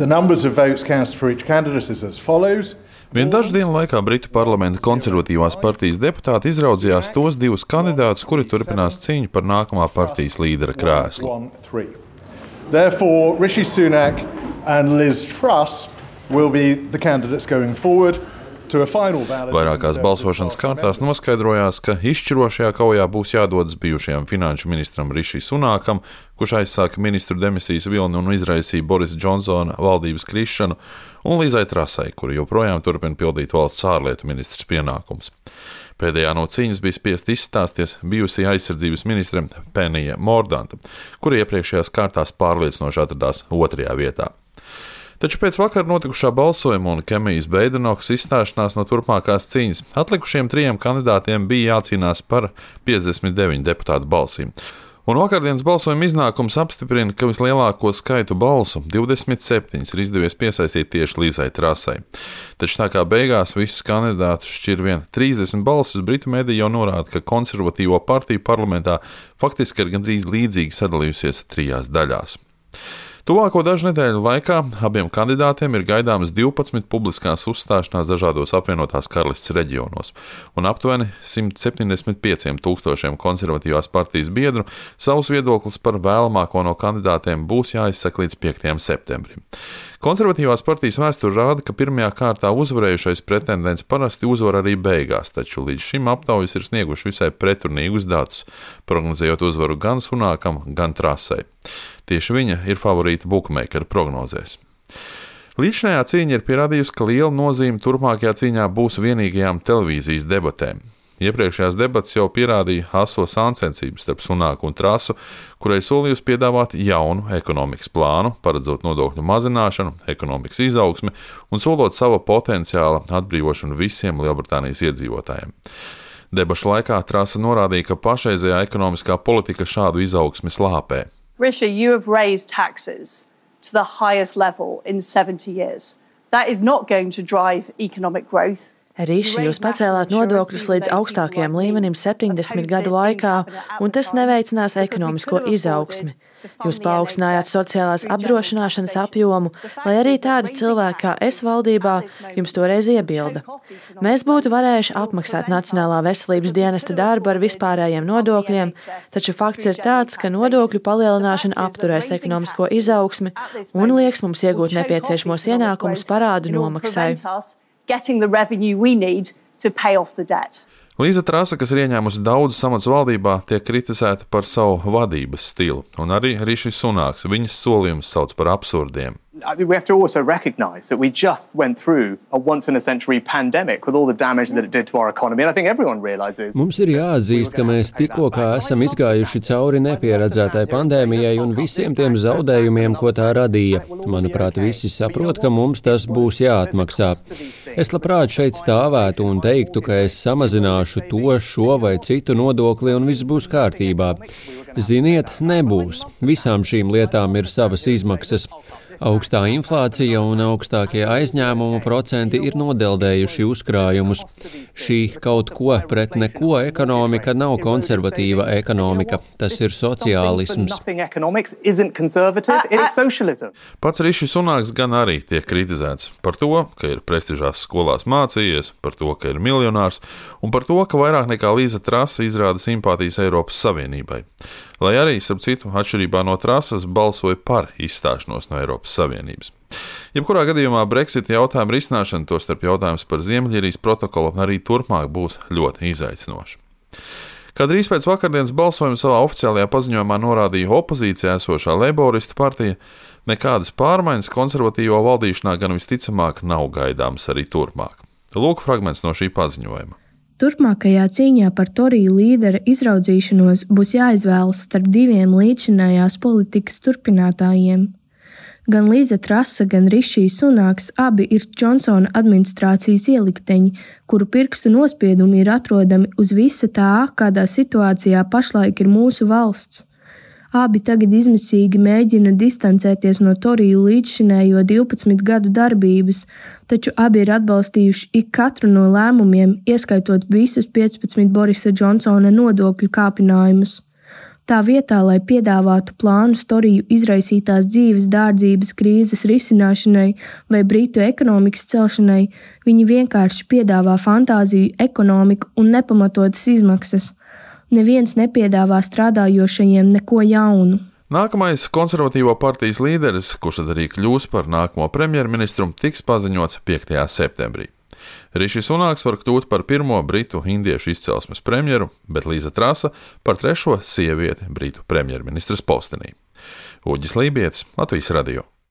The numbers of votes cast for each candidate is as follows. Vien dažu dienu laikā Britu parlamenta konservatīvās partijas deputāti izraudzījās tos divus kandidātus, kuri turpinās cīņu par nākamā partijas līdera krēslu. Therefore, Rishi Sunak and Liz Truss will be the candidates going forward. Vairākās balsošanas kārtās noskaidrojās, ka izšķirošajā kaujā būs jādodas bijušajam finanšu ministram Rishi Sunakam, kurš aizsāka ministru demisijas vilni un izraisīja Borisa Džonsona valdības krišanu, un Lizai Trasai, kura joprojām turpina pildīt valsts ārlietu ministrs pienākums. Pēdējā no cīņas bija spiest izstāsties bijusī aizsardzības ministre Penija Mordanta, kura iepriekšējās kārtās pārliecinoši atradās 2. vietā. Taču pēc vakar notikušā balsojuma un Kemijas Beidenokas izstāšanās no turpmākās cīņas atlikušiem 3 kandidātiem bija jācīnās par 59 deputātu balsīm. Un vakardienas balsojuma iznākums apstiprina, ka vislielāko skaitu balsu, 27, ir izdevies piesaistīt tieši Lizai Trasai. Taču tā kā beigās visus kandidātus šķir vien 30 balsis, Britu mediji jau norāda, ka konservatīvo partiju parlamentā faktiski ir gandrīz līdzīgi sadalījusies 3 daļās. Tuvāko dažu nedēļu laikā abiem kandidātiem ir gaidāmas 12 publiskās uzstāšanās dažādos apvienotās karalistes reģionos, un aptuveni 175,000 konservatīvās partijas biedru savus viedoklis par vēlamāko no kandidātiem būs jāizsaka līdz 5. septembrim. Konservatīvās partijas vēsture rāda, ka pirmajā kārtā uzvarējušais pretendents parasti uzvar arī beigās, taču līdz šim aptaujas ir snieguši visai pretrunīgus datus, prognozējot uzvaru gan Sunakam, gan Trasai. Tieši viņa ir favorīta bookmakeru prognozēs. Līdzinājā cīņa ir pierādījusi, ka liela nozīme turpmākajā cīņā būs vienīgajām televīzijas debatēm. Iepriekšējās debates jau pierādīja aso sāncensības starp Sunaku un Trasu, kurai solījusi piedāvāt jaunu ekonomikas plānu, paredzot nodokļu mazināšanu, ekonomikas izaugsmi un solot sava potenciāla atbrīvošanu visiem Lielbritānijas iedzīvotājiem. Debašu laikā Trasa norādīja, ka pašreizējā ekonomiskā politika šādu izaugsmi slāpē. Rishi, you have raised taxes to the highest level in 70 years. That is not going to drive economic growth. Riši, jūs pacēlāt nodokļus līdz augstākajam līmenim 70 gadu laikā, un tas neveicinās ekonomisko izaugsmi. Jūs paaugstinājāt sociālās apdrošināšanas apjomu, lai arī tādi cilvēki kā es valdībā jums toreiz iebilda. Mēs būtu varējuši apmaksāt Nacionālā veselības dienesta darbu ar vispārējiem nodokļiem, taču fakts ir tāds, ka nodokļu palielināšana apturēs ekonomisko izaugsmi un lieks mums iegūt nepieciešamos ienākumus parādu nomaksai. Getting the revenue we need to pay off the debt. Liza Trasa, kas ir ieņēmusi daudzus amatus valdībā, tiek kritizēta par savu vadības stilu, un arī Rishi Sunaks viņas solījumus sauc par absurdiem. We have to also recognise that we just went through a once-in-a-century pandemic with all the damage that it did to our economy, and I think everyone realises. Mums ir jāatzīst, ka mēs tikko kā esam izgājuši cauri nepieredzētai pandēmijai un visiem tiem zaudējumiem, ko tā radīja. Manuprāt, visi saprot, ka mums tas būs jāatmaksā. Es labprāt šeit stāvētu un teiktu, ka es samazināšu to, šo vai citu nodokli un viss būs kārtībā. Ziniet, nebūs. Visām šīm lietām ir savas izmaksas. Augstā inflācija un augstākie aizņēmumu procenti ir nodeldējuši uzkrājumus. Šī kaut ko pret neko ekonomika nav konservatīva ekonomika. Tas ir sociālisms. Pats Rishi Sunaks gan arī tiek kritizēts par to, ka ir prestižās skolās mācījies, par to, ka ir miljonārs un par to, ka vairāk nekā Liza Trasa izrāda simpātijas Eiropas Savienībai. Lai arī, starp citu, atšķirībā no Trasas, balsoja par izstāšanos no Eiropas Savienības. Jebkurā gadījumā Brexita jautājuma risināšana, tostarp jautājums par Ziemeļīrijas protokolu, arī turpmāk būs ļoti izaicinoša. Kā drīz pēc vakardienas balsojuma savā oficiālajā paziņojumā norādīja opozīcijā esošā Leiboristu partija, nekādas pārmaiņas konservatīvo valdīšanā gan visticamāk nav gaidāmas arī turpmāk. Lūk fragments no šī paziņojuma. Turpmākajā cīņā par Toriju līdera izraudzīšanos būs jāizvēlas starp 2 līdzinājās politikas turpinātājiem. Gan Liza Trasa, gan Rishi Sunaks abi ir Džonsona administrācijas ielikteņi, kuru pirkstu nospiedumi ir atrodami uz visa tā, kādā situācijā pašlaik ir mūsu valsts. Abi tagad izmisīgi mēģina distancēties no Toriju līdzšinējo 12 gadu darbības, taču abi ir atbalstījuši ik katru no lēmumiem, ieskaitot visus 15 Borisa Džonsona nodokļu kāpinājumus. Tā vietā, lai piedāvātu plānus Toriju izraisītās dzīves dārdzības krīzes risināšanai vai Britu ekonomikas celšanai, viņi vienkārši piedāvā fantāziju, ekonomiku un nepamatotas izmaksas. Neviens nepiedāvā strādājošajiem neko jaunu. Nākamais konservatīvo partijas līderis, kurš tad arī kļūs par nākamo premjerministru, tiks paziņots 5. septembrī. Rišijs Sunāks var kļūt par pirmo britu indiešu izcelsmes premjeru, bet Līza Trasa par 3. sievieti britu premjerministras postenī. Uģis Lībietis, Latvijas radio.